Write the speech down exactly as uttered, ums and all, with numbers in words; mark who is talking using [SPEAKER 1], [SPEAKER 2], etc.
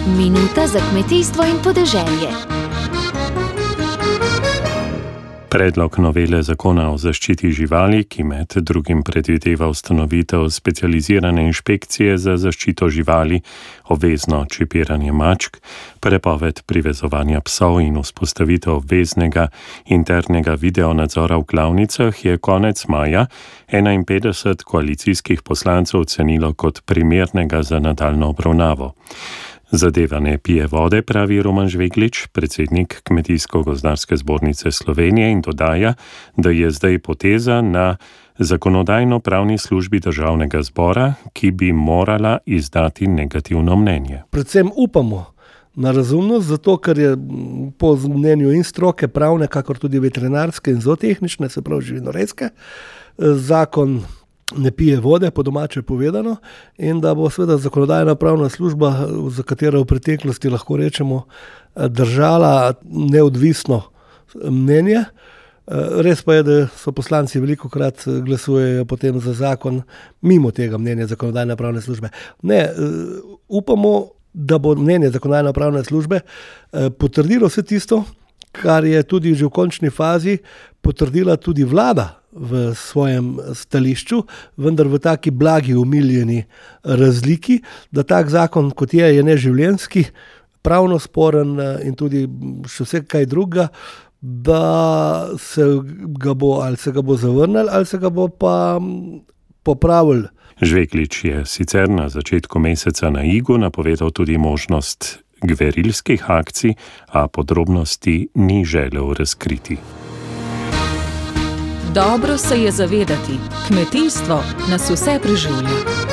[SPEAKER 1] Minuta za kmetijstvo in podeželje.
[SPEAKER 2] Predlog novele zakona o zaščiti živali, ki med drugim predvideva ustanovitev specializirane inšpekcije za zaščito živali, obvezno čipiranje mačk, prepoved privezovanja psov in vzpostavitev obveznega internega videonadzora v klavnicah, je konec maja enainpetdeset koalicijskih poslancev ocenilo kot primernega za nadaljnjo obravnavo. Zadeva ne pije vode, pravi Roman Žveglič, predsednik Kmetijsko-gozdarske zbornice Slovenije, in dodaja, da je zdaj poteza na zakonodajno-pravni službi državnega zbora, ki bi morala izdati negativno mnenje.
[SPEAKER 3] Predvsem upamo na razumnost, zato ker je po mnenju in stroke pravne, kakor tudi veterinarske in zootehnične, se pravi živinorejske, zakon ne pije vode, po domače povedano, in da bo seveda zakonodajna pravna služba, za katero v preteklosti lahko rečemo, držala neodvisno mnenje. Res pa je, da so poslanci velikokrat glasujejo potem za zakon mimo tega mnenja zakonodajne pravne službe. Ne, upamo, da bo mnenje zakonodajne pravne službe potrdilo vse tisto, kar je tudi že v končni fazi potrdila tudi vlada v svojem stališču, vendar v taki blagi, umiljeni razliki, da tak zakon, kot je, je neživljenjski, pravno sporen in tudi še vse kaj drugega, da se ga bo, ali se ga bo zavrnil, ali se ga bo pa popravil.
[SPEAKER 2] Žveglič je sicer na začetku meseca na Igu napovedal tudi možnost gverilskih akcij, a podrobnosti ni želel razkriti.
[SPEAKER 4] Dobro se je zavedati, kmetijstvo nas vse preživlja.